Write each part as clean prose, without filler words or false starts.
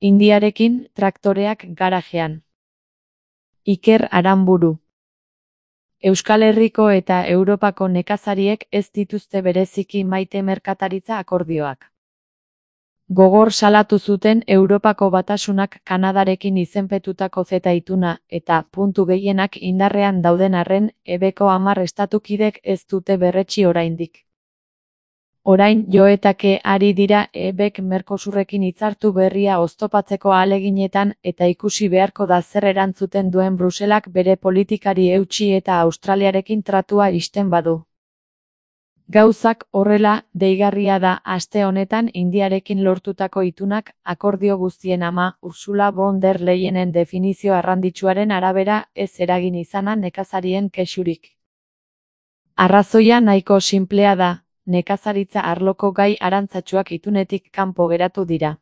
Indiarekin traktoreak garajean. Iker Aranburu. Euskal Herriko eta Europako nekazariek ez dituzte bereziki maite merkataritza akordioak. Gogor salatu zuten Europako Batasunak Kanadarekin izenpetutako CETA ituna eta puntu gehienak indarrean dauden arren ebeko 10 estatukidek ez dute berretsi oraindik. Orain joetake ari dira ebek Mercosurrekin hitzartu berria oztopatzeko ahaleginetan eta ikusi beharko da zer erantzuten duen Bruselak bere politikari eutsi eta Australiarekin tratua ixten badu. Gauzak horrela, deigarria da aste honetan Indiarekin lortutako itunak akordio guztien ama Ursula von der Leyenen definizio arranditsuaren arabera ez eragin izana nekazarien kexurik. Arrazoia nahiko sinplea da. Nekazaritza arloko gai arantzatsuak itunetik kanpo geratu dira.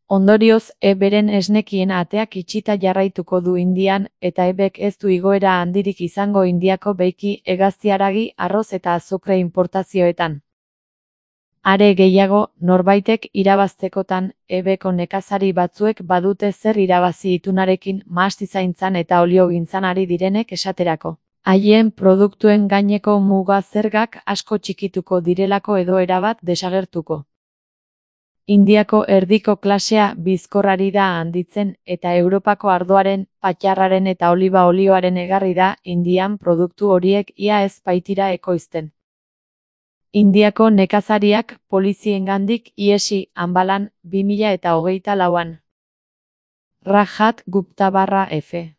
Ondorioz, eberen esnekien ateak itxita jarraituko du Indian, eta ebek ez du igoera handirik izango Indiako beiki hegazti-haragi, arroz eta azukre importazioetan. Are gehiago, norbaitek irabaztekotan, ebeko nekazari batzuek badute zer irabazi itunarekin mahastizaintzan eta oliogintzan ari direnek esaterako. Haien produktuen gaineko muga zergak asko txikituko direlako edo erabat desagertuko. Indiako erdiko klasea bizkorrari da handitzen eta Europako ardoaren, patxarraren eta oliba olioaren egarri da Indian produktu horiek ia ez baitira ekoizten. Indiako nekazariak poliziengandik ihesi Anbalan 2024an. Rajat Gupta/F.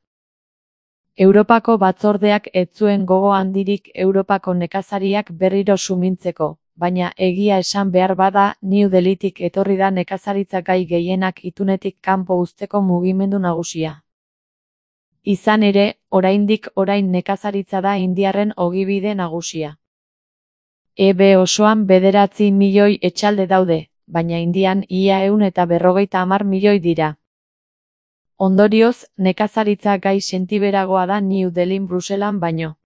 Europako batzordeak ez zuen gogo handirik Europako nekazariak berriro sumintzeko, baina egia esan behar bada New Delhitik etorri da nekazaritza gai gehienak itunetik kanpo uzteko mugimendu nagusia. Izan ere, orain nekazaritza da indiarren ogibide nagusia. EB osoan 9 milioi etxalde daude, baina Indian ia 150 milioi dira. Ondorioz, nekazaritza gai sentiberagoa da New Delhin Bruselan baino.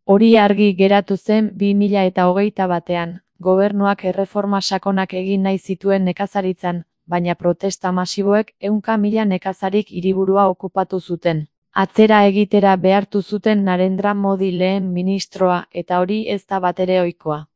Hori argi geratu zen 2021an, gobernuak erreforma sakonak egin nahi zituen nekazaritzan, baina protesta masiboek 100.000 nekazarik hiriburua okupatu zuten. Atzera egitera behartu zuten Narendra Modi lehen ministroa eta hori ez da batere ohikoa.